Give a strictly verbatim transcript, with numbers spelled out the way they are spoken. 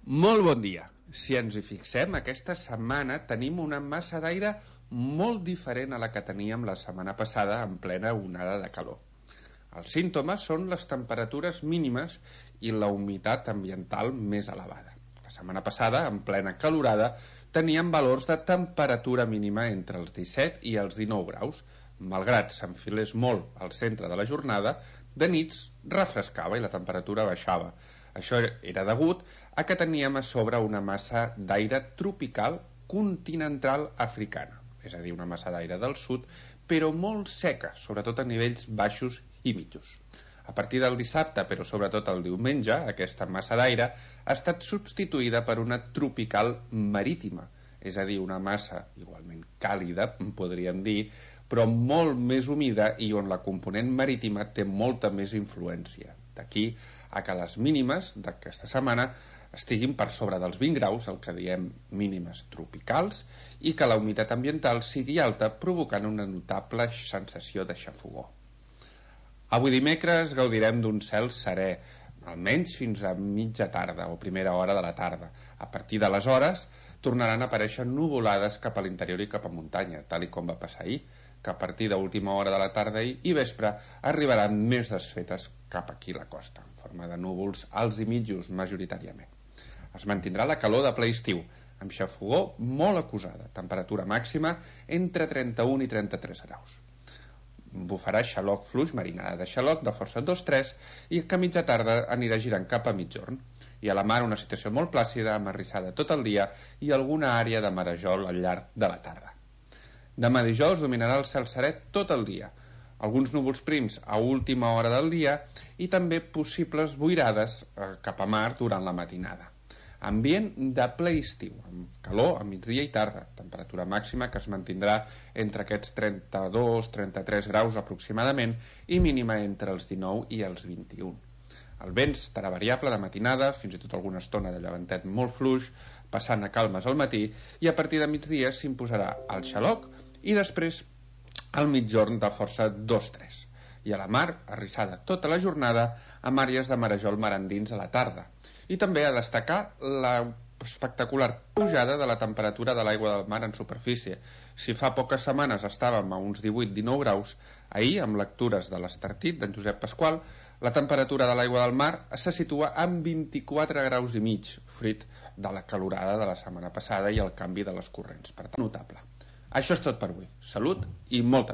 Molt bon dia. Si ens hi fixem, aquesta setmana tenim una massa d'aire molt diferent a la que teníem la setmana passada en plena onada de calor. Els símptomes són les temperatures mínimes i la humitat ambiental més elevada. La setmana passada, en plena calorada, teníem valors de temperatura mínima entre els disset i els dinou graus. Malgrat s'enfilés molt al centre de la jornada, de nits refrescava i la temperatura baixava. Això era degut a que teníem a sobre una massa d'aire tropical continental africana, és a dir, una massa d'aire del sud, però molt seca, sobretot a nivells baixos i mitjos. A partir del dissabte, però sobretot el diumenge, aquesta massa d'aire ha estat substituïda per una tropical marítima, és a dir, una massa igualment càlida, podríem dir, però molt més humida i on la component marítima té molta més influència. D'aquí a que les mínimes d'aquesta setmana estiguin per sobre dels vint graus, el que diem mínimes tropicals, i que la humitat ambiental sigui alta, provocant una notable sensació de xafogor. Avui dimecres gaudirem d'un cel serè, almenys fins a mitja tarda o primera hora de la tarda. A partir d'aleshores tornaran a aparèixer nuvolades cap a l'interior i cap a muntanya, tal i com va passar ahir, que a partir d'última hora de la tarda i vespre arribaran més desfetes cap aquí a la costa, en forma de núvols alts i mitjos majoritàriament. Es mantindrà la calor de ple estiu, amb xafogor molt acusada, temperatura màxima entre trenta-un i trenta-tres graus. Bufarà xaloc fluix, marinada de xaloc de força dos tres i que a mitja tarda anirà girant cap a mitjorn. I a la mar una situació molt plàcida, amb arrissada tot el dia i alguna àrea de marejol al llarg de la tarda. Demà dijous dominarà el cel serè tot el dia, alguns núvols prims a última hora del dia i també possibles boirades eh, cap a mar durant la matinada. Ambient de ple estiu, amb calor a migdia i tarda, temperatura màxima que es mantindrà entre aquests trenta-dos a trenta-tres graus aproximadament i mínima entre els dinou i els vint-i-un. El vent estarà variable de matinada, fins i tot alguna estona de llevantet molt fluix, passant a calmes al matí, i a partir de migdia s'imposarà el xaloc i després el mitjorn de força dos tres. I a la mar, arrissada tota la jornada, amb àrees de marejol mar endins a la tarda. I també a destacar la espectacular pujada de la temperatura de l'aigua del mar en superfície. Si fa poques setmanes estàvem a uns divuit a dinou graus, ahir, amb lectures de l'Estartit d'en Josep Pasqual, la temperatura de l'aigua del mar se situa en vint-i-quatre graus i mig, fruit de la calorada de la setmana passada i el canvi de les corrents. Per tant, notable. Això és tot per avui. Salut i molta